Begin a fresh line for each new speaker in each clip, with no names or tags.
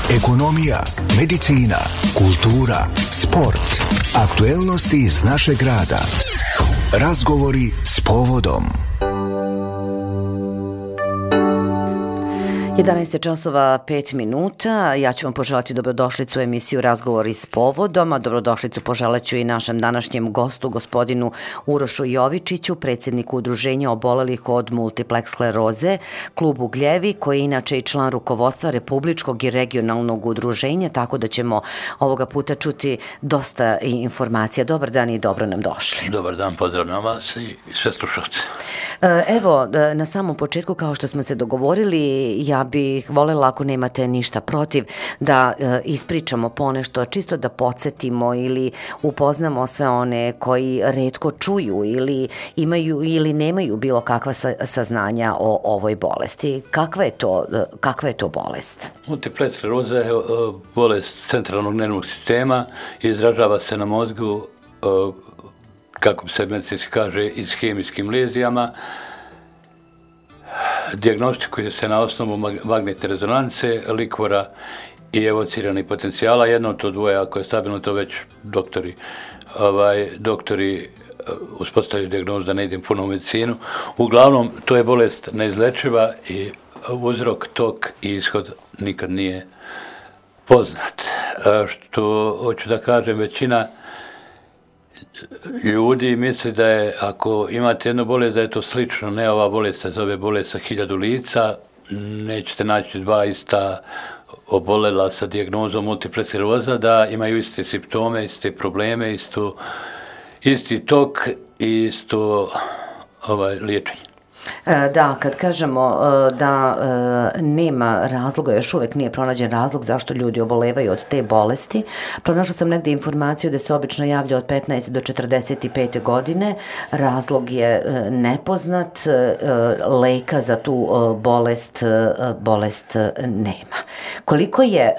ekonomija, medicina, kultura, sport, aktuelnosti iz našeg grada. Razgovori s povodom.
11 časova 5 minuta. Ja ću vam poželati dobrodošlicu u emisiju Razgovori s povodom, a dobrodošlicu poželaću i našem današnjem gostu, gospodinu Urošu Jovičiću, predsjedniku Udruženja obolelih od multipleks skleroze, klub Ugljevi, koji je inače i član rukovodstva Republičkog i regionalnog udruženja, tako da ćemo ovoga puta čuti dosta informacija. Dobar dan i dobro nam došli.
Dobar dan, pozdravljam vas i sve slušalce.
Evo, na samom početku, kao što smo se dogovorili, ja bih voljela, ako nemate ništa protiv, da ispričamo ponešto, čisto da podsjetimo ili upoznamo sve one koji retko čuju ili imaju ili nemaju bilo kakva saznanja o ovoj bolesti. Kakva je to bolest?
Multipleks skleroza je bolest centralnog nervnog sistema i izražava se na mozgu, kako se medicinski kaže, ishemijskim lezijama. Dijagnostikuje se na osnovu magnetne rezonance, likvora i evociranih potencijala. Jedno od to dvoje, ako je stabilno, to već doktori uspostavljaju dijagnozu, da ne idem puno u medicinu. Uglavnom, to je bolest neizlečiva i uzrok, tok i ishod nikad nije poznat. Što hoću da kažem, većina ljudi misli da je, ako imate jednu bolest, da je to slično. Ne, ova bolest se zove bolest sa 1000 lica. Nećete naći dva ista obolela sa dijagnozom multipleks skleroza da imaju iste simptome, iste probleme, isti tok i isto liječenje.
Da, kad kažemo da nema razloga, još uvijek nije pronađen razlog zašto ljudi obolevaju od te bolesti. Pronašla sam negdje informaciju da se obično javlja od 15 do 45 godine. Razlog je nepoznat, leka za tu bolest nema. Koliko je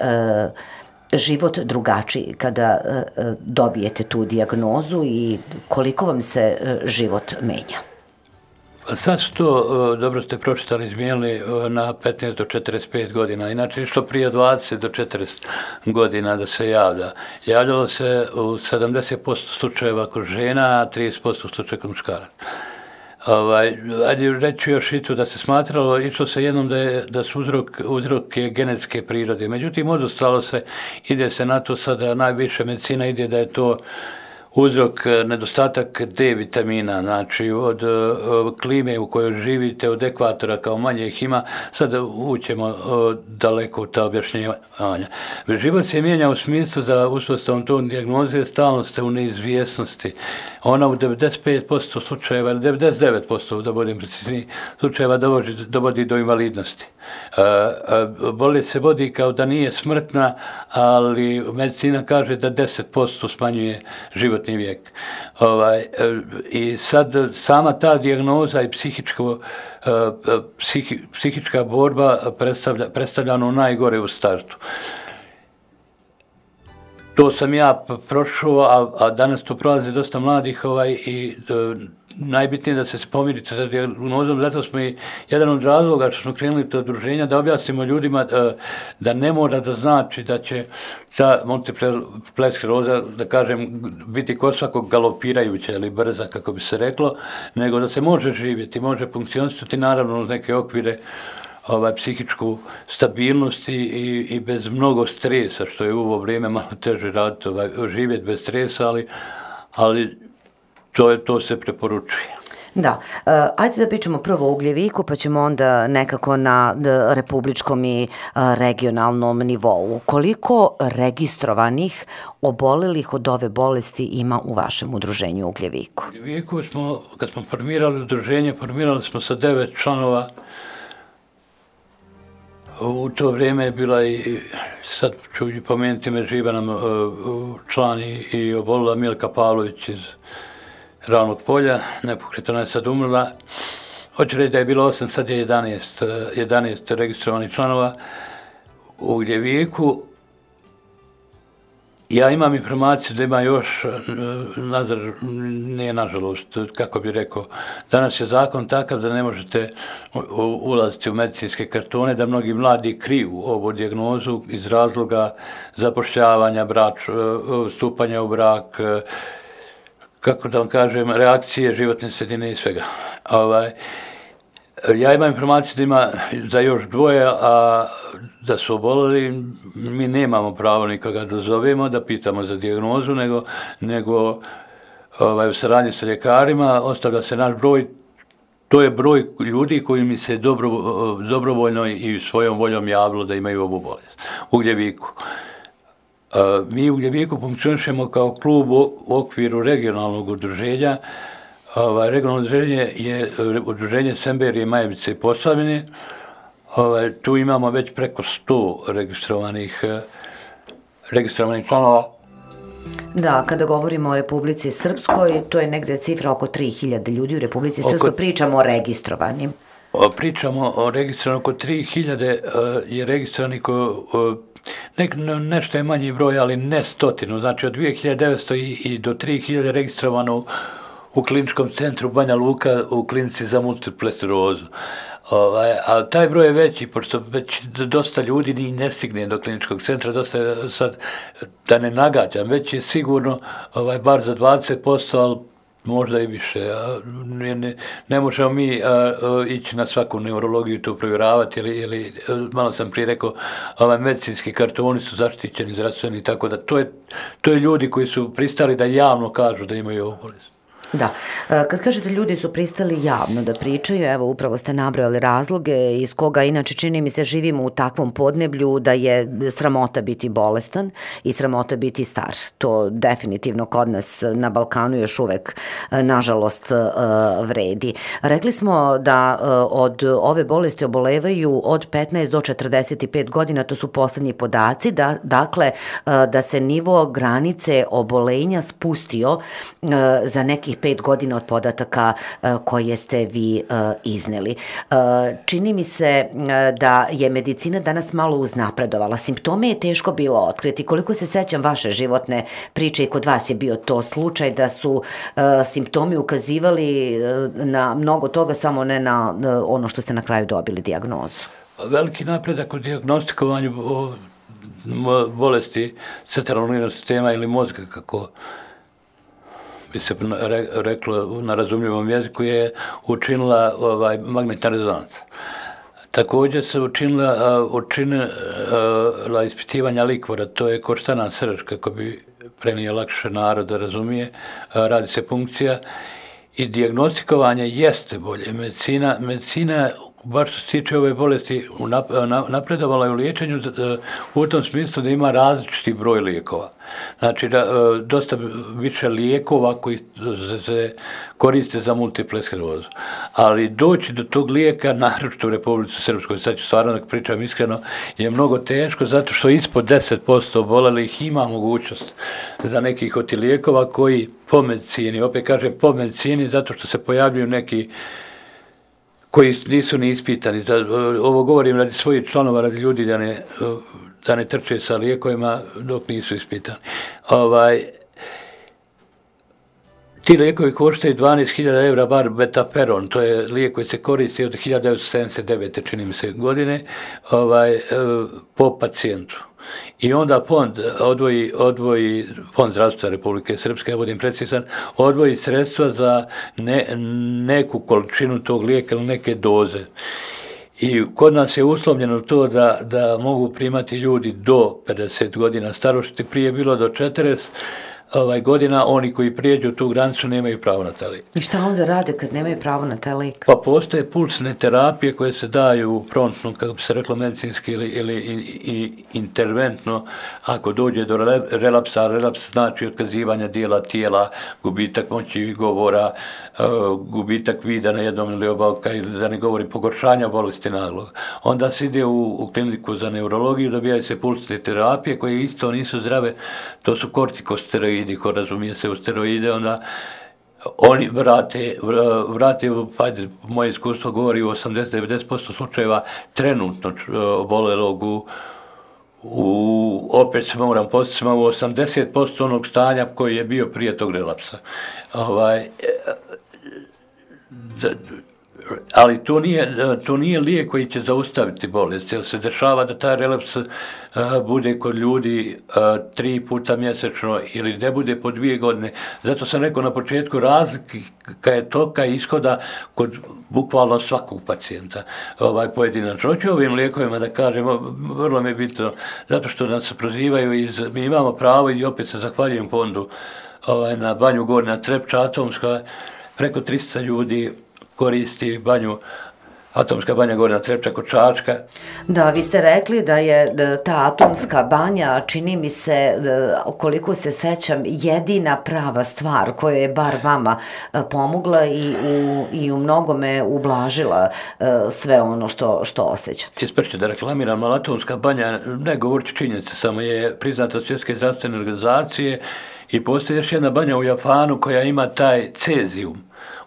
život drugačiji kada dobijete tu dijagnozu i koliko vam se život menja?
Sad su to, dobro ste pročitali, izmijenili na 15 do 45 godina. Inače, išlo prije 20 do 40 godina da se javlja. Javljalo se u 70% slučajeva kod žena, a 30% slučajeva kod muškaraca. Ajde reći još i to da se smatralo, išlo se jednom da su uzrok je genetske prirode. Međutim, odustalo se, ide se na to sada, najviše medicina ide da je to uzrok nedostatak D vitamina, znači od klime u kojoj živite, od ekvatora kao manje ih ima, sad ućemo daleko u ta objašnjavanja. Život se mijenja u smislu za uspostavom tog dijagnoze, stalno ste u neizvjesnosti. Ona u 95% slučajeva, ili 99% da budem precizniji, slučajeva dovodi do invalidnosti. Bolest se vodi kao da nije smrtna, ali medicina kaže da 10% smanjuje životni vijek. I sad sama ta dijagnoza i psihička borba predstavlja ono najgore u startu. To sam ja prošao, a danas to prolazi dosta mladih i najbitnije da se pomirite sa dijagnozom, zato smo i jedan od razloga što smo krenuli to udruženja da objasnimo ljudima da ne mora da znači da će ta multipleks skleroza, da kažem, biti kod svakog galopirajuća ili brza, kako bi se reklo, nego da se može živjeti, može funkcionisati, naravno uz neke okvire psihičku stabilnost i bez mnogo stresa, što je u ovo vrijeme malo teže raditi, živjeti bez stresa, ali to se preporučuje.
Da, ajde da pričamo prvo o Ugljeviku, pa ćemo onda nekako na republičkom i regionalnom nivou. Koliko registrovanih obolelih od ove bolesti ima u vašem udruženju u Ugljeviku?
U Ugljeviku kad smo formirali udruženje, formirali smo sa 9 članova. U to vrijeme je bila i, sad ću i pomenuti me, živa nam član i obolila Milka Pavlović iz Ravnog polja, nepokretana je sad umrla. Hoću reći da je bilo 8, sad je 11 registrovanih članova u Ugljeviku. Ja imam informaciju da ima još, nije nažalost, kako bih rekao, danas je zakon takav da ne možete ulaziti u medicinske kartone, da mnogi mladi kriju ovu dijagnozu iz razloga zapošljavanja, stupanja u brak, kako da vam kažem, reakcije životne sredine i svega. Ja imam informaciju da ima za još dvoje, a da su oboleli, mi nemamo pravo nikoga da zovemo, da pitamo za dijagnozu, nego u saradnji sa ljekarima ostavlja se naš broj. To je broj ljudi koji mi se dobrovoljno i svojom voljom javilo da imaju ovu bolest. U Gljeviku. Mi u Gljeviku funkcionišemo kao klub u okviru regionalnog udruženja. Regionalno udruženje je udruženje Semberije, Majevice i Posavine. Tu imamo već preko 100 registrovanih članova.
Da, kada govorimo o Republici Srpskoj, to je negde cifra oko 3000 ljudi u Republici Srpskoj, pričamo o registrovanim.
Pričamo o registrovanim, oko 3000 je registrovanih, nešto je manji broj, ali ne stotinu, znači od 2900 i do 3000 registrovano u kliničkom centru Banja Luka u klinici za multiple sklerozu. Ali taj broj je veći, pošto već dosta ljudi ni ne stigne do kliničkog centra, dosta je sad, da ne nagađam, već je sigurno bar za 20%, ali možda i više. Ne možemo mi ići na svaku neurologiju to provjeravati, ili malo sam prije rekao, medicinski kartoni su zaštićeni, zdravstveni, tako da to je ljudi koji su pristali da javno kažu da imaju ovu bolest.
Da, kad kažete ljudi su pristali javno da pričaju, evo upravo ste nabrojali razloge iz koga inače čini mi se živimo u takvom podneblju da je sramota biti bolestan i sramota biti star. To definitivno kod nas na Balkanu još uvek nažalost vredi. Rekli smo da od ove bolesti obolevaju od 15 do 45 godina, to su poslednji podaci, dakle da se nivo granice obolenja spustio za nekih 5 godina od podataka koje ste vi izneli. Čini mi se da je medicina danas malo uznapredovala. Simptome je teško bilo otkriti. Koliko se sećam vaše životne priče i kod vas je bio to slučaj da su simptomi ukazivali na mnogo toga, samo ne na ono što ste na kraju dobili dijagnozu.
Veliki napredak u dijagnostikovanju bolesti centralnog nervnog sistema ili mozga, kako bi se reklo na razumljivom jeziku, je učinila magnetna rezonanca. Također se učinila ispitivanja likvora, to je koštana srž, kako bi prenio lakše narod da razumije, radi se punkcija i dijagnostikovanje jeste bolje. Medicina, baš što se tiče ove bolesti, napredovala je u liječenju u tom smislu da ima različiti broj lijekova. Znači, dosta više lijekova koji se koriste za multiple sklerozu. Ali doći do tog lijeka, naročito u Republici Srpskoj, sad ću stvarno da pričam iskreno, je mnogo teško, zato što ispod 10% obolelih ima mogućnost za nekih od tih lijekova koji po medicini, opet kažem po medicini, zato što se pojavljuju neki koji nisu ni ispitani. Ovo govorim radi svojih članova, radi ljudi da ne trče sa lijekovima dok nisu ispitani. Ti lijekovi koštaju 12.000 evra, bar betaperon, to je lijek koji se koristi od 1979. čini mi se godine, po pacijentu. I onda fond odvoji Fond zdravstva Republike Srpske, ja budem precizan, odvoji sredstva za neku količinu tog lijeka ili neke doze. I kod nas je uslovljeno to da mogu primati ljudi do 50 godina starosti, prije bilo do 40 godina, oni koji prijeđu tu granicu nemaju pravo na taj lijek.
I šta onda rade kad nemaju pravo na taj lijek?
Pa postoje pulsne terapije koje se daju promptno, kako bi se reklo medicinski ili interventno, ako dođe do relapsa. Relaps znači otkazivanja dijela tijela, gubitak moći govora, gubitak vida na jednom ili oba oka, ili da ne govori pogoršanja bolesti naglog. Onda se ide u kliniku za neurologiju, dobijaju se pulsne terapije koje isto nisu zdrave, to su kortikosteroidi, ko razumije se u steroide, onda oni vrate, moje iskustvo govori u 80-90% slučajeva trenutno obolelog u opet se moram postati u 80% onog stanja koji je bio prije tog relapsa. Ali to nije lijek koji će zaustaviti bolest, jer se dešava da taj relaps bude kod ljudi 3 puta mjesečno ili ne bude po 2 godine. Zato sam rekao na početku, razlika je toka ishoda kod bukvalno svakog pacijenta pojedinačno. Hoću ovim lijekovima da kažemo, vrlo mi je bitno, zato što nas prozivaju, mi imamo pravo i opet se zahvaljujem fondu na Banju Gornja Trepča atomska, preko 300 ljudi koristi banju, atomska banja Gornja Trepča kod Čačka.
Da, vi ste rekli da je ta atomska banja, čini mi se, koliko se sećam, jedina prava stvar koja je bar vama pomogla i u mnogome ublažila sve ono što osjećate.
Isprečite da reklamiram, ali atomska banja, ne govoriti činjenice, samo je priznata od Svjetske zdravstvene organizacije i postoji još jedna banja u Japanu koja ima taj cezijum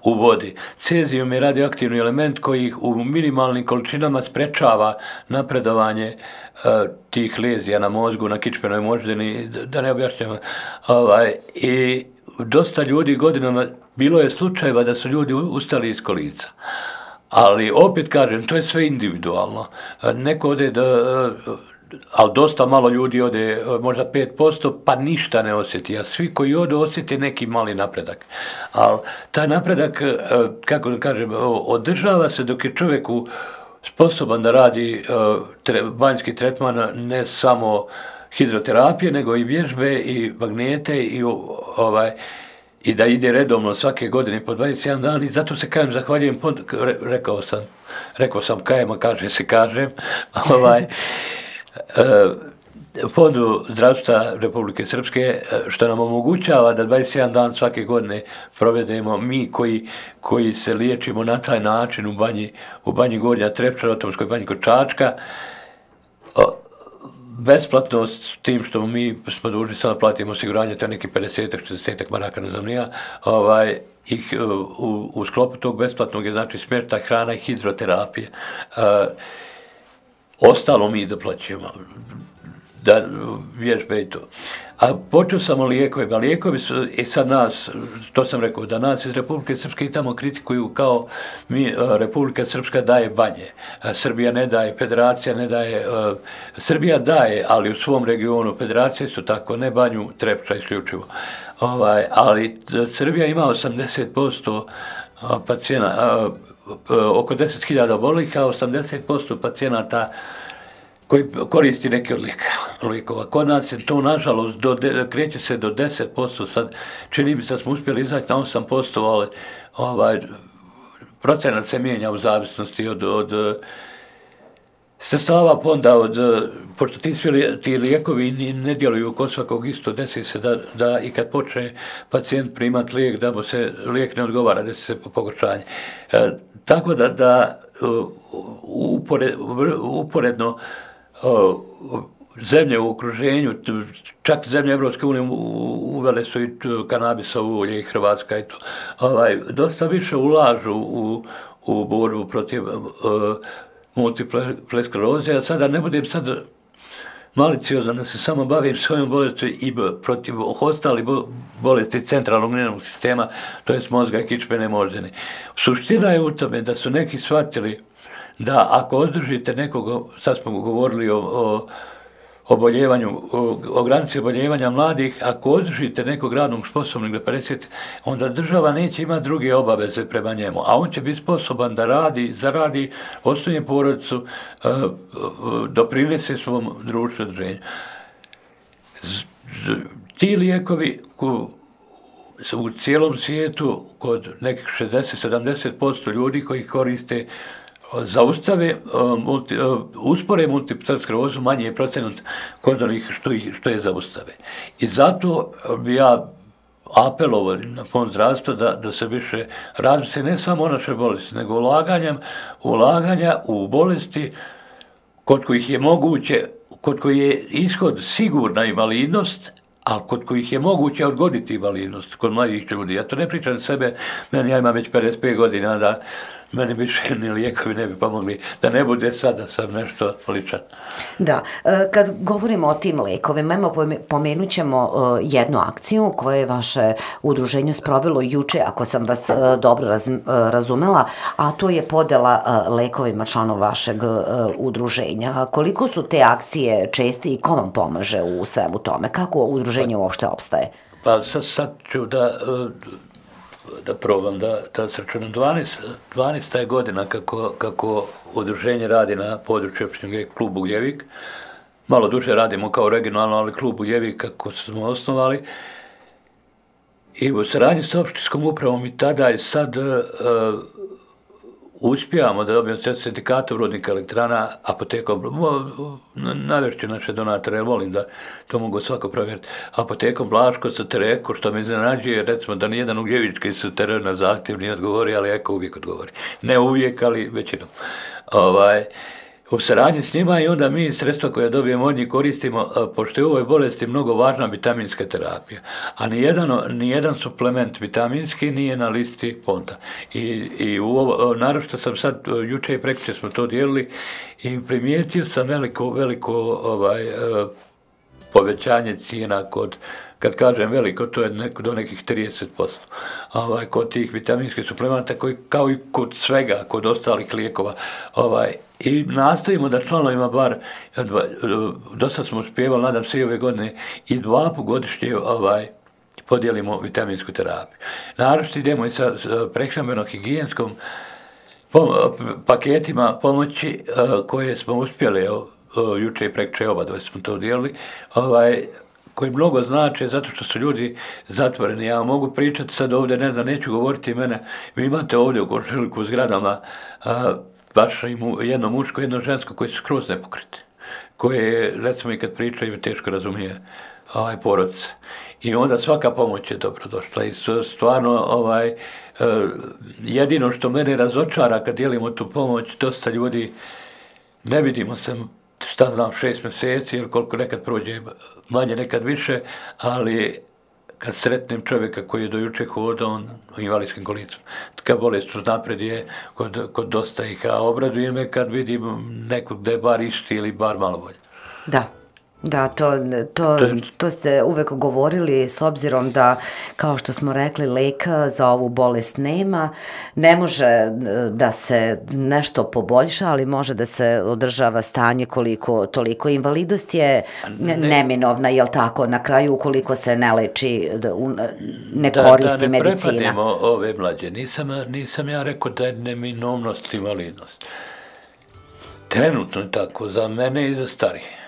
u vodi. Cezijum je radioaktivni element koji u minimalnim količinama sprečava napredovanje tih lezija na mozgu, na kičmenoj moždini, da ne objašnjamo. I dosta ljudi godinama, bilo je slučajeva da su ljudi ustali iz kolica. Ali opet kažem, to je sve individualno. Neko ode ali dosta malo ljudi ode, možda 5%, pa ništa ne osjeti, a svi koji ode osjeti neki mali napredak. Ali taj napredak, kako da kažem, održava se dok je čovjeku sposoban da radi banjski tretman, ne samo hidroterapije, nego i vježbe i magnete i da ide redovno svake godine po 21 dan i zato se kažem, zahvaljujem, rekao sam kajem, a kaže se kažem, Fondu zdravstva Republike Srpske, što nam omogućava da 21 dan svake godine provedemo mi koji se liječimo na taj način u banji Gornja Trepča, u atomskoj banji kod Čačka, besplatno s tim što mi smo dužni sada platimo osiguranje, to je neki 50-60 maraka, ne znam nija, u sklopu tog besplatnog je znači smještaj, hrana i hidroterapije. Ostalo mi doplaćujemo, da vježbe i to. A počeo sam o lijekovima. Lijekovi su, i sad nas, to sam rekao, da nas iz Republike Srpske i tamo kritikuju kao mi, Republika Srpska daje banje. Srbija ne daje, Federacija ne daje. Srbija daje, ali u svom regionu. Federacije su tako, ne banju Trepča isključivo. Ali Srbija ima 80% pacijena, oko 10.000 oboljelih, a 80% pacijenata koji koristi neke od lijekova. Kod nas je to, nažalost, kreće se do 10%, sad čini mi se da smo uspjeli izaći na 8%, ali procenat se mijenja u zavisnosti od sredstava fonda, pošto ti lijekovi ne djeluju kod svakog isto, desi se da i kad počne pacijent primati lijek, da mu se lijek ne odgovara, desi se pogoršanje. Tako da uporedno zemlje u okruženju, čak zemlje Evropske unije uvele su i kanabisovo ulje i Hrvatska i to. Dosta više ulažu u borbu protiv multiple skleroze, a sada ne budem maliciozan da se samo bavim svojom bolesti i protiv ostalih bolesti centralnog nervnog sistema, to je mozga i kičmene moždine. Suština je u tome da su neki shvatili da ako održite nekoga, sad smo govorili o oboljevanju, o granici oboljevanja mladih, ako održite nekog radnog sposobnog do 50, onda država neće imati druge obaveze prema njemu, a on će biti sposoban da radi, zaradi, osnuje porodicu, doprinese svom društvu održenju. Ti lijekovi u cijelom svijetu, kod nekih 60-70% ljudi koji koriste, zaustave, uspore multiple sklerozu, manji je procenat kod onih što je zaustave. I zato bi ja apelovao na fond zdravstva da se više razmisli ne samo o našoj bolesti, nego ulaganja u bolesti kod kojih je moguće, kod kojih je ishod sigurna invalidnost, ali kod kojih je moguće odgoditi invalidnost kod mladih ljudi. Ja to ne pričam sebe, ja imam već 55 godina, meni više ni lijekovi ne bi pomogli, da ne bude sad da sam nešto ličan.
Da, kad govorimo o tim lekovima, pomenut ćemo jednu akciju koju je vaše udruženje sprovelo juče, ako sam vas dobro razumela, a to je podela lekovima članova vašeg udruženja. Koliko su te akcije česte i ko vam pomaže u svemu tome? Kako udruženje uopšte opstaje?
Pa sad ću da probam da sračunam. 12. je godina kako udruženje radi na području opštine Klub Ugljevik. Malo duže radimo kao regionalno, ali Klub Ugljevik kako smo osnovali. I u saradnji sa opštinskom upravom i tada i sad uspijamo da dobijemo sredstva sindikata Rudnika elektrana, apotekom, navešću naše donatore, jer volim da to mogu svako provjeriti, apotekom Blaško sa Tereko, što me iznenađuje, recimo da nijedan Ugljevički sa Terena na zahtjev nije odgovori, ali Eko uvijek odgovori. Ne uvijek, ali većinom. U saradnji s njima i onda mi sredstva koje dobijemo od njih koristimo, pošto je u ovoj bolesti mnogo važna vitaminska terapija, a nijedan suplement vitaminski nije na listi fonda. I naročito sam sad, juče i prekjuče smo to dijelili i primijetio sam veliko povećanje cijena kad kažem veliko, to je do nekih 30%. Kod tih vitaminskih suplementa, kao i kod svega, kod ostalih lijekova. I nastojimo da članovima bar, do sad smo uspjevali, nadam se i ove godine, i 2 puta godišnje podijelimo vitaminsku terapiju. Naročito idemo i sa prehrambeno-higijenskom paketima pomoći koje smo uspjeli, juče i prekjuče obadva smo to dijelili, koji mnogo znače zato što su ljudi zatvoreni. Ja mogu pričati sad ovdje, ne znam, neću govoriti mene, vi imate ovdje u komšiluku u zgradama baš jedno muško, jedno žensko koji su skroz nepokriti, koje, recimo i kad pričaju, teško razumije porodice. I onda svaka pomoć je dobrodošla i stvarno jedino što mene razočara kad dijelimo tu pomoć, dosta ljudi ne vidimo se, šta znam, 6 mjeseci ili koliko nekad prođe, manje nekad više, ali kad sretnem čovjeka koji je do juče hodao, on u invalidskim kolicima. Kad bolest napred je kod dosta ih, a obraduje me kad vidim nekog da je bar isti ili bar malo bolje.
Da, to ste uvek govorili, s obzirom da, kao što smo rekli, leka za ovu bolest nema, ne može da se nešto poboljša, ali može da se održava stanje koliko toliko. Invalidnost je neminovna, jel tako, na kraju ukoliko se ne leči, ne koristi medicina.
Da ne prepademo ove mlađe, nisam ja rekao da je neminovnost invalidnost. Trenutno je tako, za mene i za starije.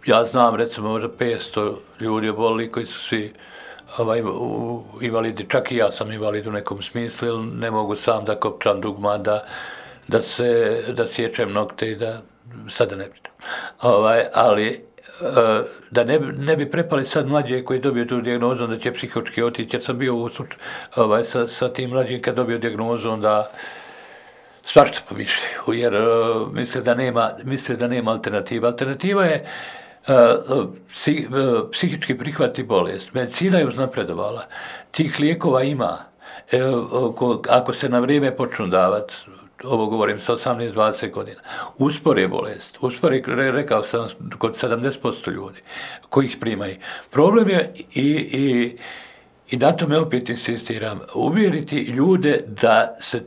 Ja znam, recimo, možda 500 ljudi obolili koji su svi invalidi, čak i ja sam invalid u nekom smislu, jer ne mogu sam da kopčam dugma, da sjećem nokte i da sada ne pričam. Ali da ne bi prepali sad mlađe koji dobiju tu dijagnozu, da će psihočki otići, jer sam bio sa tim mlađim kad dobio dijagnozu, onda svašta pomišljaju, jer misle da nema alternativa. Alternativa je psihički prihvati bolest. Medicina je uznapredovala. Tih lijekova ima. Ako se na vrijeme počnu davati, ovo govorim sa 18-20 godina, uspore bolest. Uspore, rekao sam, kod 70% ljudi koji ih primaju. Problem je i na tome opet insistiram, uvjeriti ljude da se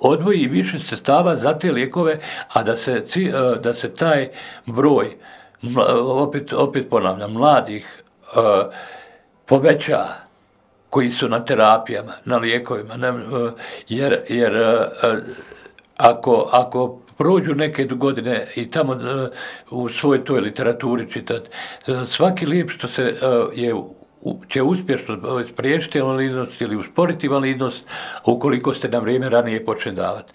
odvoji više sredstava za te lijekove, a da se taj broj, opet ponavljam, mladih poveća koji su na terapijama, na lijekovima, jer ako prođu neke godine i tamo u svojoj toj literaturi čitati, svaki lijek što se će uspješno spriječiti invalidnost ili usporiti invalidnost ukoliko ste na vrijeme ranije počeli davati.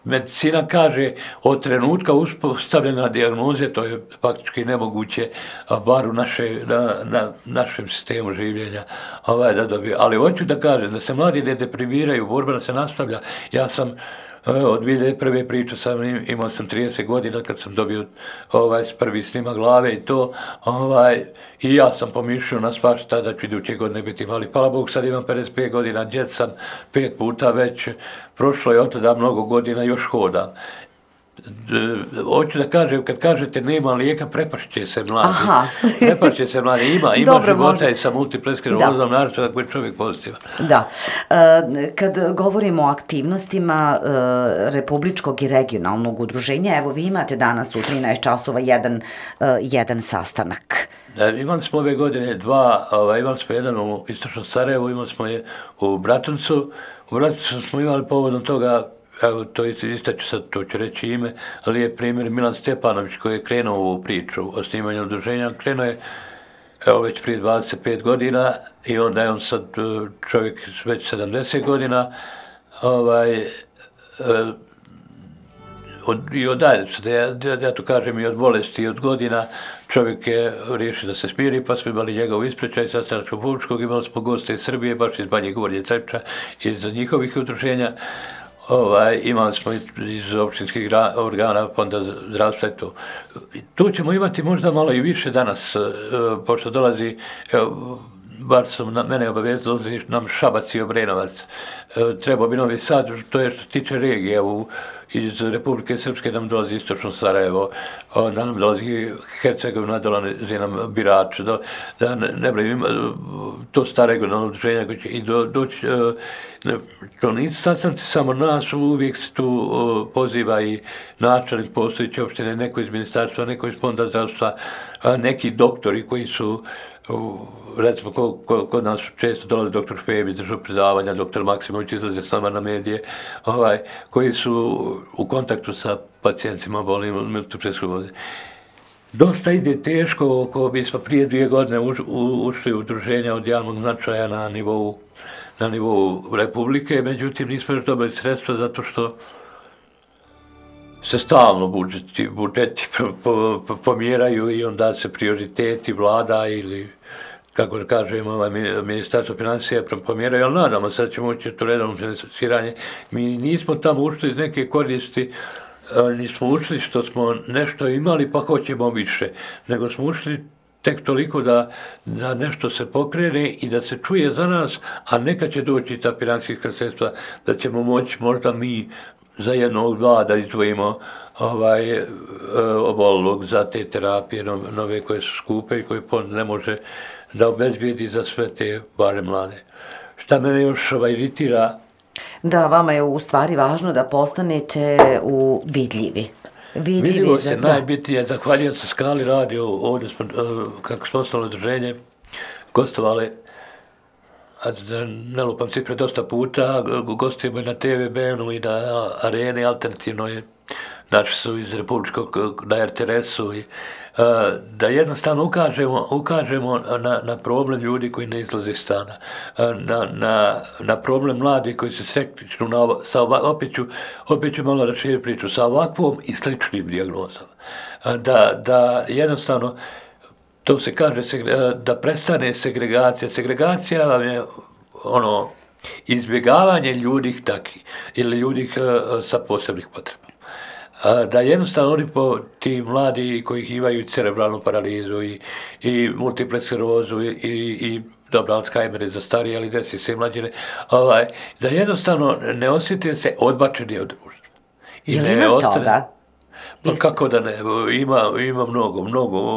Medicina kaže od trenutka uspostavljena dijagnoze, to je faktički nemoguće, bar u našem sistemu življenja da dobije. Ali hoću da kažem da se mladi ne deprimiraju, borba se nastavlja. Ja sam Od 2001. priča sam, imao sam 30 godina kad sam dobio prvi snimak glave i to, i ja sam pomišljao na svašta da ću iduće godine biti mali. Hvala Bogu, sad imam 55 godina, djed sam 5 puta već, prošlo je od tada mnogo godina, još hodam. Hoću da kažem, kad kažete nema lijeka, prepašće se mladi. Prepašće se mladi. Ima života i sa multiple sklerozom, naravno ako je čovjek pozitivan.
Da. Kad govorimo o aktivnostima Republičkog i regionalnog udruženja, evo vi imate danas u 13 časova jedan sastanak.
Imali smo ove godine dva, imali smo jedan u Istočnom Sarajevu, imali smo je u Bratuncu. U Bratuncu smo imali povodom toga, evo to istaću sad, to ću reći ime, ali je primjer Milan Stjepanović koji je krenuo u ovu priču o snimanju udruženja. Krenuo je već prije 25 godina i onda je on sad čovjek već 70 godina i odalje se, ja to kažem i od bolesti i od godina, čovjek je riješio da se smiri, pa smo imali njegov ispričaj sastanak Republičkog, imali smo goste iz Srbije, baš iz Banje Gornje Trepča, iz njihovih udruženja. Imali smo iz općinskih organa, Fonda zdravstva i to. Tu ćemo imati možda malo i više danas, pošto dolazi, bar su mene obavezali, dolazi nam Šabac i Obrenovac. Treba bi Novi Sad, to je što se tiče regije, iz Republike Srpske nam dolazi Istočno Sarajevo, nam dolazi Hercegovina, dolazi nam Birač, da ne brojim, to sta regionalno udruženja koje će i doći, to nisu sastanci samo nas, uvijek se tu poziva i načelnik postojeće opštine, neko iz ministarstva, neko iz Fonda zdravstva, neki doktori koji su, recimo kod nas često dolazi doktor Špebi, držao predavanja, doktor Maksimović izlaze s nama na medije, koji su u kontaktu sa pacijentima bolim multiple skleroze. Dosta ide teško, ako bismo prije 2 godine ušli u udruženja od javnog značaja na nivou Republike, međutim nismo još dobili sredstva zato što se stalno budžeti pomjeraju i onda se prioriteti vlada ili, kako da kažem, ministarstvo financija pomjeraju, ali nadamo se da ćemo ući u to redovno finansiranje. Mi nismo tamo ušli iz neke koristi, nismo ušli što smo nešto imali pa hoćemo više, nego smo ušli tek toliko da nešto se pokrene i da se čuje za nas, a neka će doći ta financijska sredstva da ćemo moći možda mi za jednog, dva da izdvojimo obolog za te terapije nove koje su skupe i koje fond ne može da obezbijedi za sve te bare mlade. Šta mene još iritira?
Da, vama je u stvari važno da postanete vidljivi.
Vidljivost je najbitnije, zahvaljujem se Skali radio, ovdje smo, kako smo ostalo udruženje, gostovali, da ne lupam cifre, dosta puta, gostujemo i na TVB-u i na Areni alternativnoj, naši su iz Republičkog, na RTS-u, da jednostavno ukažemo na problem ljudi koji ne izlaze iz stana, na problem mladih koji se sreću, opet ću malo raširiti priču, sa ovakvom i sličnim dijagnozama. Da jednostavno, to se kaže da prestane segregacija. Segregacija vam je izbjegavanje ljudi takvih ili ljudi sa posebnih potreba. Da jednostavno oni ti mladi koji imaju cerebralnu paralizu i multiple sklerozu i dobro, Alzheimer je za starije, ali desi se i mlađine, da jednostavno ne osjete se odbačeni od društva.
Je li ima toga?
Pa kako da ne, ima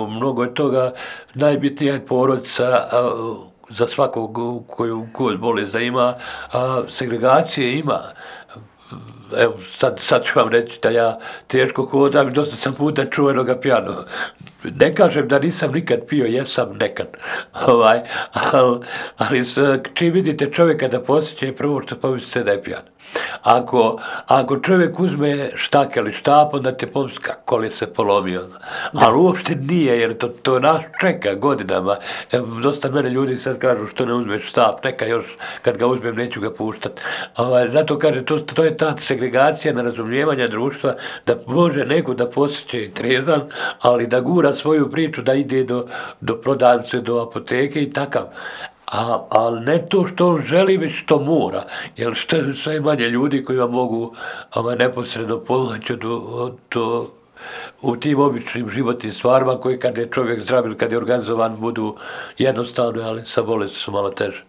mnogo je toga, najbitnija je porodica za svakog koju god bolest da ima, a segregacije ima. Evo, sad ću vam reći da ja teško hodam i dosta sam puta čuvenoga pijano. Ne kažem da nisam nikad pio, jesam nekad. Ali čim vidite čovjeka da posjeće, prvo što pomislite da je pijan. Ako čovjek uzme štak ili štap, onda te pomisli kako li se polomio. Ali uopšte nije, jer to nas čeka godinama. Dosta mene ljudi sad kažu što ne uzmeš štap, neka još kad ga uzmem neću ga puštati. Zato kaže, to je ta segregacija nerazumijevanja društva, da može neko da posjeće trezan, ali da gura svoju priču, da ide do prodavnice, do apoteke i takav. ali ne to što on želi, već što mora, jer što je sve manje ljudi koji vam mogu neposredno pomoći u tim običnim životnim stvarima koji kad je čovjek zdrav ili kad je organizovan budu jednostavne, ali sa bolesti su malo teže.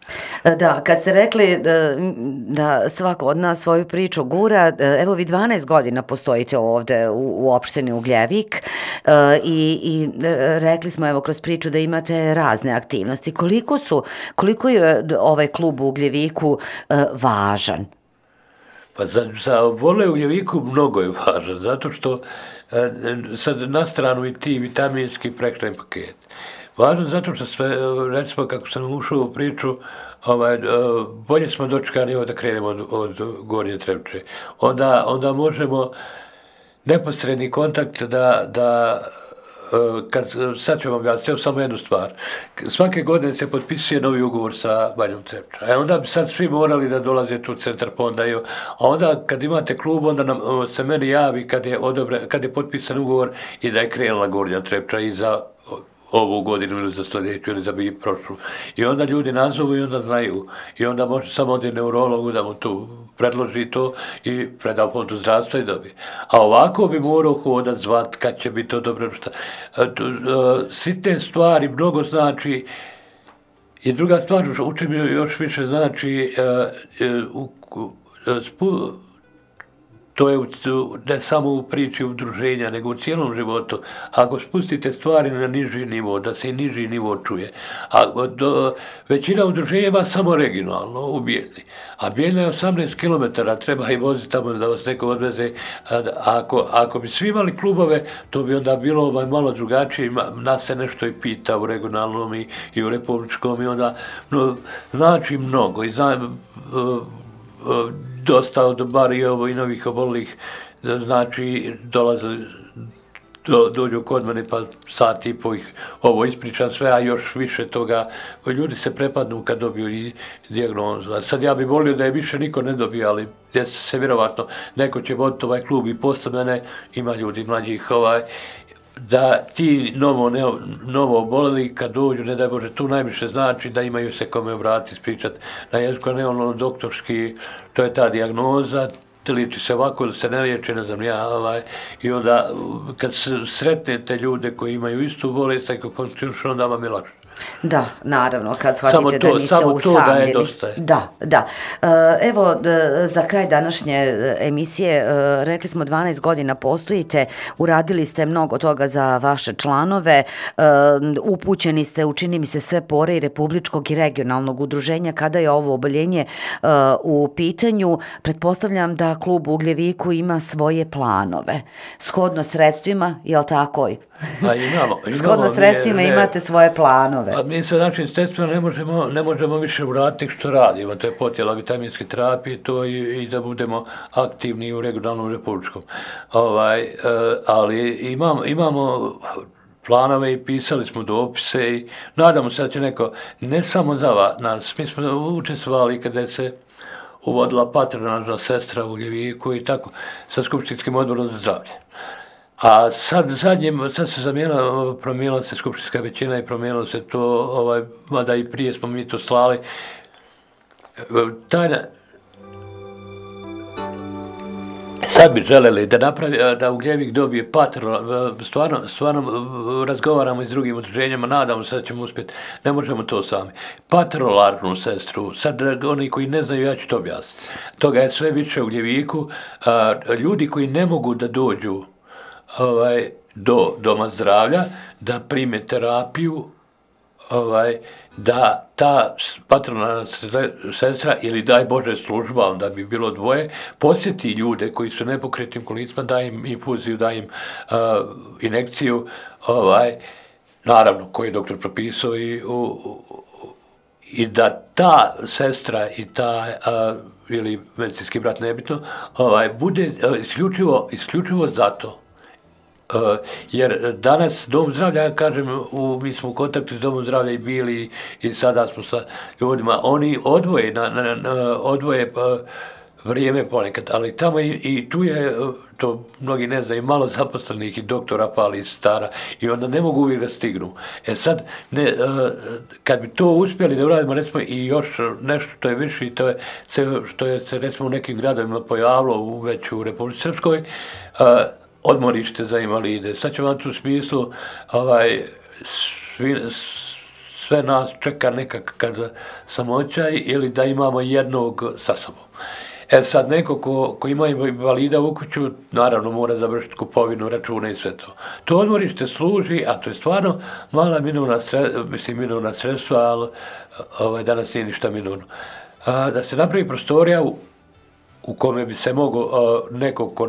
Da, kad ste rekli da svako od nas svoju priču gura, evo vi 12 godina postojite ovde u opštini Ugljevik i rekli smo evo kroz priču da imate razne aktivnosti. Koliko je ovaj klub u Ugljeviku važan?
Pa za vole u Ugljeviku mnogo je važan, zato što sad na stranu i ti vitaminski prehrambeni paket. Važno zato što sve, recimo kako sam ušao u priču, bolje smo dočekani da krenemo od Gornje Trepče. Onda možemo neposredni kontakt sad ću vam objasniti samo jednu stvar. Svake godine se potpisuje novi ugovor sa Banjom Trepča. Onda bi sad svi morali da dolaze tu u centar fonda. A onda kad imate klub, onda se meni javi kad je potpisan ugovor i da je krenula Gornja Trepča i za ovu godinu ili za sljedeću ili za prošlu. I onda ljudi nazovu i onda znaju. I onda može samo od neurologu da mu tu predloži to i preda fondu zdravstva i dobije. A ovako bi morao hodat, zvat, kad će biti to dobro. Sitne stvari mnogo znači. I druga stvar, učim još više znači, to je ne samo u priči udruženja, nego u cijelom životu. Ako spustite stvari na niži nivo, da se i niži nivo čuje. Većina udruženja ima samo regionalno u Bijeljni. A Bijeljna je 18 km, treba i voziti tamo da vas neko odveze. Ako bi svi imali klubove, to bi onda bilo malo drugačije. Nas se nešto i pita u regionalnom i u republičkom i onda znači mnogo. I dosta od bar i novih obolelih, znači dolaze, dođu kod mene pa sat i po ih ovo ispričam sve, a još više toga, ljudi se prepadnu kad dobiju i dijagnozu. A sad ja bih volio da je više niko ne dobije, ali djeca se vjerovatno, neko će voditi ovaj klub i posle mene, ima ljudi mlađih da ti novo oboleli kad dođu, ne daj Bože, tu najviše znači da imaju se kome obratiti, ispričati na jeziku, ne ono doktorski, to je ta dijagnoza, liči se ovako, da se ne liječi, ne znam ja, i onda kad sretnete ljude koji imaju istu bolest, tako funkcionišu, onda vam je lakše.
Da, naravno, kad shvatite da niste usamljeni.
Samo to da je dosta.
Da. Evo, za kraj današnje emisije, rekli smo 12 godina postojite, uradili ste mnogo toga za vaše članove, upućeni ste, učini mi se, sve pore i republičkog i regionalnog udruženja. Kada je ovo oboljenje u pitanju, pretpostavljam da klub u Ugljeviku ima svoje planove. Shodno sredstvima, je li tako? Shodno sredstvima imate svoje planove.
A mi se, znači, sredstvima ne možemo više uraditi što radimo, to je podjela vitaminske terapije, to i da budemo aktivni u regionalnom republičkom. Ali imamo planove i pisali smo dopise i nadamo se da će neko, ne samo za nas, mi smo učestvovali kada se uvodila patronažna sestra u Ugljeviku i tako, sa Skupštinskim odborom za zdravlje. A sad se promijenila se skupštinska većina i promijenilo se to, mada i prije smo mi to slali. Sad bi želeli da Ugljevik dobije stvarno razgovaramo i s drugim udruženjima, nadamo se da ćemo uspjeti, ne možemo to sami. Patrolarnu sestru, sad oni koji ne znaju, ja ću to objasniti. Toga je sve više u Ugljeviku, ljudi koji ne mogu da dođu do doma zdravlja, da prime terapiju, da ta patronalna sestra ili daj Bože služba, onda bi bilo dvoje, posjeti ljude koji su nepokretnim kolicima, da im infuziju, da im injekciju, naravno koji je doktor propisao i da ta sestra i ta ili medicinski brat, nebitno, bude isključivo zato. Jer danas Dom zdravlja, ja kažem, mi smo u kontaktu s Domom zdravlja i bili i sada smo sa ljudima, oni odvoje vrijeme ponekad, ali tamo i tu je, to mnogi ne znaju, malo zaposlenih i doktora pali iz stara i onda ne mogu uvijek da stignu. Sad, kad bi to uspjeli da uradimo, recimo, i još nešto što je više, to je što je se, recimo, u nekim gradovima pojavilo već u Republici Srpskoj, odmorište za invalide. Sad ćemo vam tu smislu, sve nas čeka nekakav samoćaj ili da imamo jednog sa sobom. Sad, neko ko ima invalida u kuću, naravno mora završiti kupovinu, račune i sve to. To odmorište služi, a to je stvarno mala minorna sredstva, ali danas nije ništa minorno. Da se napravi prostorija u kome bi se mogo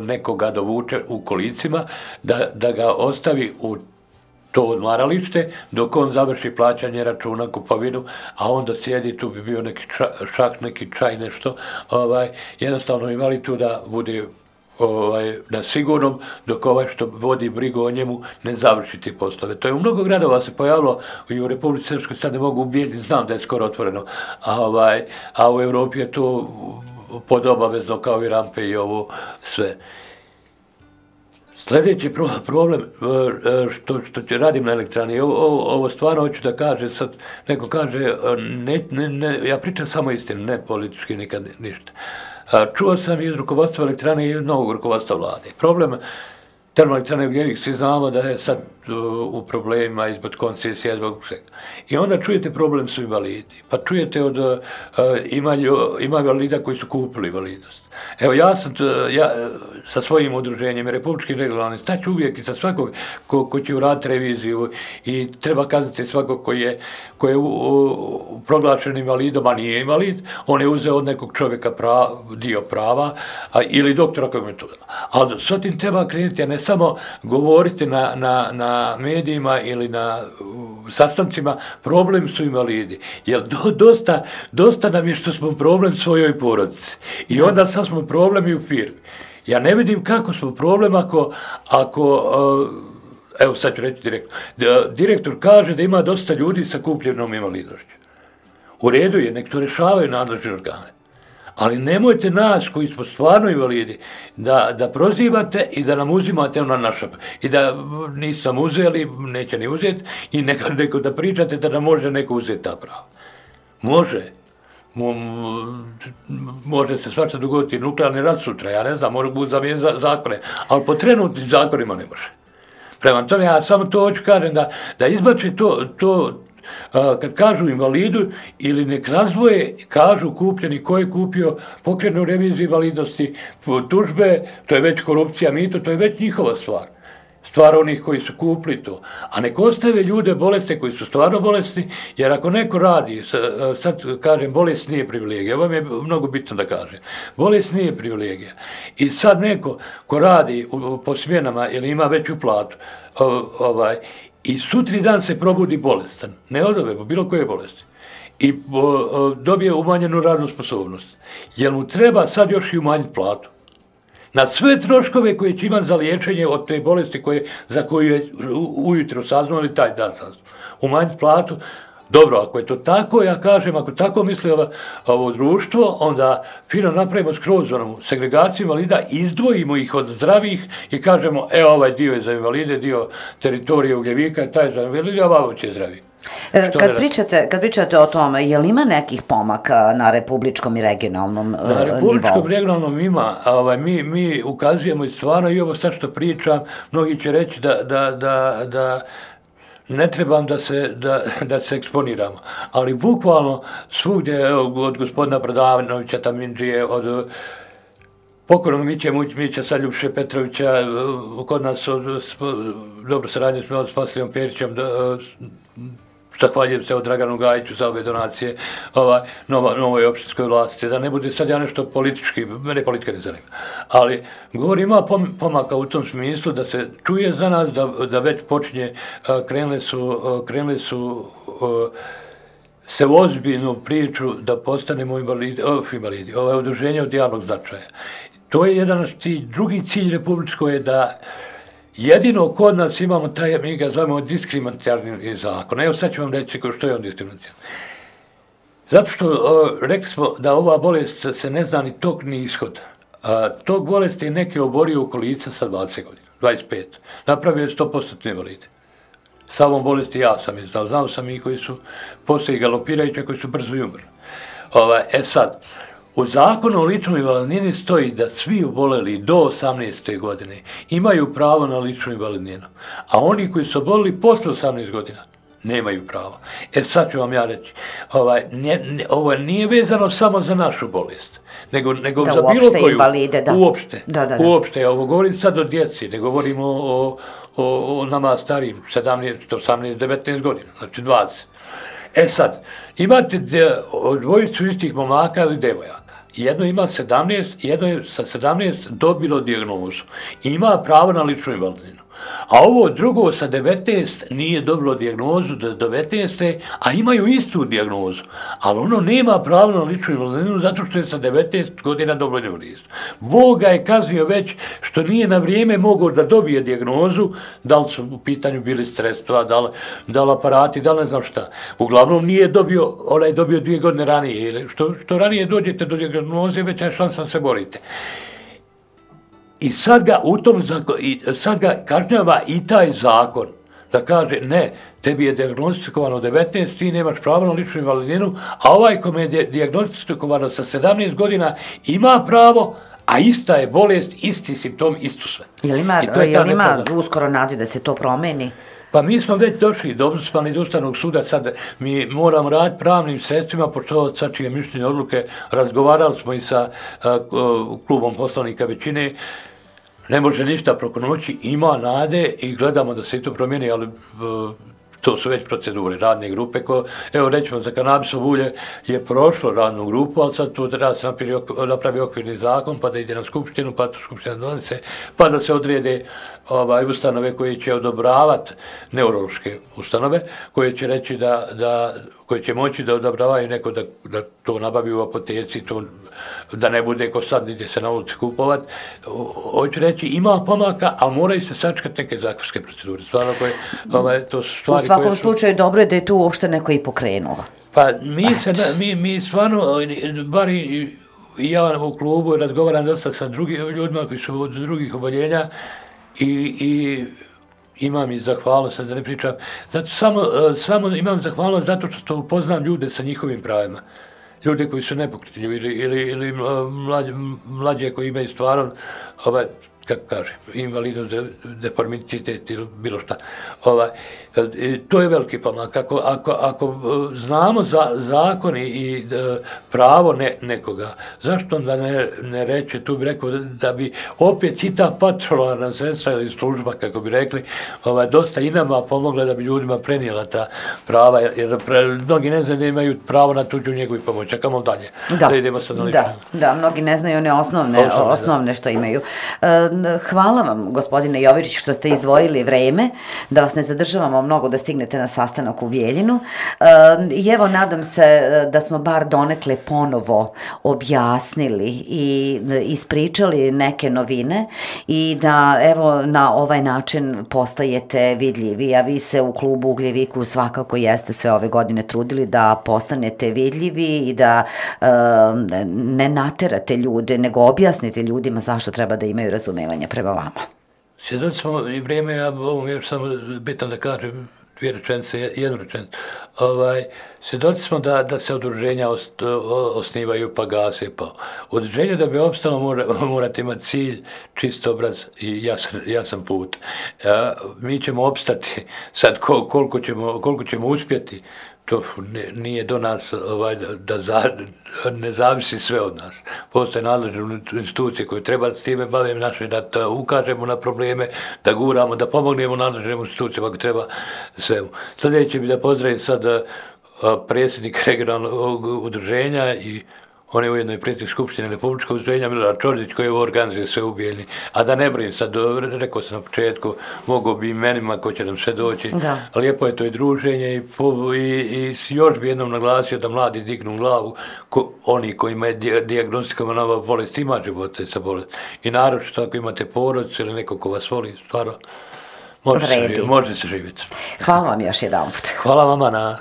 nekoga dovuče u kolicima, da ga ostavi u to odmaralište, dok on završi plaćanje računa, kupovinu, a onda sjedi, tu bi bio neki šak, neki čaj, nešto, jednostavno imali tu da bude na sigurnom, dok što vodi brigu o njemu ne završi te poslove. To je u mnogo gradova se pojavilo i u Republici Srpskoj, sad ne mogu ubijeti, znam da je skoro otvoreno, a u Evropi je to podobavezno kao i rampe i ovo sve. Sljedeći problem što radim na elektrani, ovo stvarno hoću da kažem, sad neko kaže, ja pričam samo istinu, ne politički nikad ništa. Čuo sam iz rukovodstva elektrane i novog rukovodstva vlade. Problem termoelektrane Ugljevik, svi znamo da je sad u problemima izbog koncesija, zbog svega. I onda čujete problem su invalidi, pa čujete ima invalida koji su kupili invalidnost. Evo, ja sa svojim udruženjem i republičkim regionalnim staću uvijek i sa svakog ko će uraditi reviziju i treba kazniti svakog ko je proglašen invalidom, a nije invalid, on je uzeo od nekog čovjeka dio prava ili doktora koji je to. Ali s tim treba krenuti, a ne samo govoriti na medijima ili na sastancima, problem su invalidi. Jer dosta nam je što smo problem svojoj porodici. I onda sad smo problem i u firmi. Ja ne vidim kako smo problem ako evo sad ću reći direktor kaže da ima dosta ljudi sa kupljenom invalidnošću. U redu je, nek to rešavaju nadležni organe. Ali nemojte nas koji smo stvarno invalidi da prozivate i da nam uzimate ona naša. I da nisam uzeli, neće ni uzeti i neko da pričate da nam može neko uzeti ta prava. Može. Može se svača dogoditi nuklearni rat sutra, ja ne znam, može biti zamijeniti zakone, ali po trenutnim zakonima ne može. Prema tome, ja samo to hoću kažem da izbače to kad kažu invalidu ili nek razdvoje, kažu kupljeni ko je kupio, pokrenu reviziju invalidnosti, tužbe, to je već korupcija, mito, to je već njihova stvar. Stvar onih koji su kupili to. A nek ostave ljude bolesne koji su stvarno bolesni, jer ako neko radi, sad kažem, bolest nije privilegija, ovo mi je mnogo bitno da kažem, bolest nije privilegija. I sad neko ko radi po smjenama ili ima veću platu, i sutri dan se probudi bolestan, ne od ove, bilo koje bolesti, i dobije umanjenu radnu sposobnost, jer mu treba sad još i umanjiti platu. Na sve troškove koje će imati za liječenje od te bolesti za koju je ujutro saznao ili taj dan saznao. Umanjiti platu, dobro, ako je to tako, ja kažem, ako tako misli ovo društvo, onda fino napravimo skroz segregaciju invalida, izdvojimo ih od zdravih i kažemo, ovaj dio je za invalide, dio teritorije Ugljevika, taj je za invalide, a ovo će zdravi.
Kad pričate o tome, je li ima nekih pomaka na republičkom i regionalnom nivou?
Na republičkom i regionalnom ima. Mi ukazujemo i stvarno, i ovo sad što pričam, mnogi će reći da ne trebam da se eksponiramo. Ali bukvalno svugdje, od gospodina Prodavinovića, Tamindžije, od pokojnog Mića Saljupše Petrovića, kod nas dobro saradnje smo s Vasilijom Perićem, zahvaljujem se od Draganu Gajiću za ove donacije novoj opštinskoj vlasti, da ne bude sad ja nešto politički, mene politika ne zanima. Ali govorim, ima pomaka u tom smislu da se čuje za nas, da već počinje, krenuli su se u ozbiljnu priču da postanemo invalidi, udruženje od javnog značaja. To je jedan drugi cilj republičko je da jedino kod nas imamo taj, mi ga zovemo diskriminatorni zakon. Evo sad ću vam reći što je on diskriminatorni. Zato što rekli smo da ova bolest se ne zna ni tok ni ishod. Tog bolesti je neki oborio u kolica sa 20 godina, 25. Napravio je 100% invalide. Sa ovom bolesti ja sam je znao sam i koji su poslije galopirajući, koji su brzo i umrli. Sad, u zakonu o ličnoj invalidnini stoji da svi oboleli do 18. godine imaju pravo na ličnu invalidninu, a oni koji su oboleli posle 18 godina nemaju pravo. Sad ću vam ja reći, ovo nije vezano samo za našu bolest, nego za bilo koju.
Invalide, da.
Uopšte, ovo govorim sad o djeci, ne govorimo o nama starijim, 17, 18, 19 godina, znači 20. Sad, imate dvojicu istih momaka ili devojaka. Jedno ima 17, jedno je sa 17 dobilo dijagnozu. Ima pravo na ličnu invalidninu. A ovo drugo sa 19 nije dobilo dijagnozu do 19. a imaju istu dijagnozu. Ali ono nema pravo na ličnu invalidninu zato što je sa 19 godina dobilo invalidnost. Bog ga je kaznio već što nije na vrijeme mogao da dobije dijagnozu, da li su u pitanju bili sredstva, da li aparati, da li ne znam šta. Uglavnom nije dobio, onaj je dobio 2 godine ranije. Što ranije dođete do dijagnoze, veća je šansa da se borite. I sad ga kažnjava i taj zakon da kaže ne, tebi je dijagnostikovano 19, ti nemaš pravo na ličnu invalidninu, a ovaj kome je dijagnostikovano sa 17 godina ima pravo, a ista je bolest, isti simptom, isto sve.
Jel ima uskoro nadi da se to promeni?
Pa mi smo već došli do Ustavnog suda, sad mi moramo raditi pravnim sredstvima, poštovati svačije mišljenje odluke, razgovarali smo i sa klubom poslanika većine, ne može ništa preko noći, ima nade i gledamo da se i to promijeni, ali to su već procedure, radne grupe. Evo, rećemo, za kanabisovo ulje je prošlo radnu grupu, ali sad tu treba se napravi okvirni zakon, pa da ide na skupštinu, pa to skupština donese, pa da se odrede ustanove koje će odobravati, neurološke ustanove, koje će reći koje će moći da odobravaju neko da to nabavi u apoteci, da ne bude ko sad ide se na ulici kupovat. Hoću reći, ima pomaka, ali moraju se sačekati neke zakonske procedure. Stvarno to su stvari
u svakom slučaju dobro je da je tu uopšte neko i pokrenuo.
Pa mi stvarno, bar i ja u klubu razgovaram dosta sa drugim ljudima koji su od drugih oboljenja, i imam i zahvalnost, da ne pričam, samo imam zahvalnost zato što upoznam ljude sa njihovim pravima. Ljude koji su nepokretni ili mlađe koji imaju stvarno, kako kaže, invalidnost, deformicitet ili bilo šta. To je veliki pomak. Ako znamo zakon i pravo nekoga, zašto onda ne reće, tu bi rekao da bi opet i ta patrolarna sestra ili služba, kako bi rekli, dosta i nama pomogla da bi ljudima prenijela ta prava, jer mnogi ne znaju da imaju pravo na tuđu njegu i pomoć. Čekamo dalje.
Da, mnogi ne znaju one osnovne što imaju. Hvala vam, gospodine Jovičić, što ste izdvojili vreme, da vas ne zadržavamo mnogo da stignete na sastanak u Bijeljinu. I evo, nadam se da smo bar donekle ponovo objasnili i ispričali neke novine i da evo na ovaj način postajete vidljivi, a vi se u klubu Ugljeviku svakako jeste sve ove godine trudili da postanete vidljivi i da ne naterate ljude, nego objasnite ljudima zašto treba da imaju razumevanja prema vama.
Svjedoci smo i vrijeme, ja ovo još samo bitan da kažem, 2 rečenice, 1 rečenicu. Svjedoci smo da se udruženja osnivaju pa gase. Udruženje da bi opstalo morate imati cilj, čist obraz i jasan put. Mi ćemo opstati, sad koliko ćemo uspjeti, to nije do nas da ne zavisi sve od nas. Postoje nadležne institucije koje treba s time baviti naše, da ukažemo na probleme, da guramo, da pomognemo nadležnim institucijama ako treba svemu. Sljedeće bi da pozdravim sad predsjednika regionalnog udruženja i on je ujedno i predsjednik Skupštine Republičkog udruženja Milorad Čordić koji ovo organizuje sve u Bijeljini. A da ne brinem sad, rekao sam na početku, mogu bi imenima ko će nam sve doći. Lijepo je to i druženje i još bi jednom naglasio da mladi dignu glavu, oni koji imaju dijagnostikovana ova bolest, ima života sa bolest. I naročito ako imate porodicu ili neko ko vas voli, stvarno, može se živjeti.
Hvala vam još jedan put.
Hvala vama na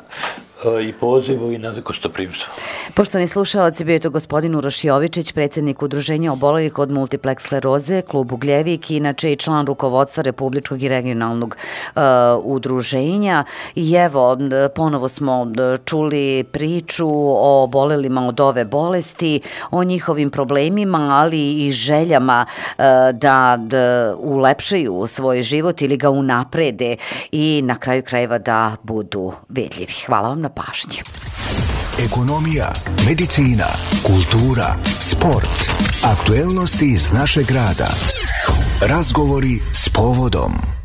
i pozivu i na gostoprimstvo.
Poštovani slušalci, bio je to gospodin Uroš Jovičić, predsjednik Udruženja obolelih od multiplex skleroze, klub Ugljevik, inače i član rukovodstva Republičkog i regionalnog udruženja. I evo, ponovo smo čuli priču o obolelima od ove bolesti, o njihovim problemima, ali i željama da ulepšaju svoj život ili ga unaprede i na kraju krajeva da budu vidljivi. Hvala vam na pažnji.
Ekonomija, medicina, kultura, sport, aktuelnosti iz našeg grada. Razgovori s povodom.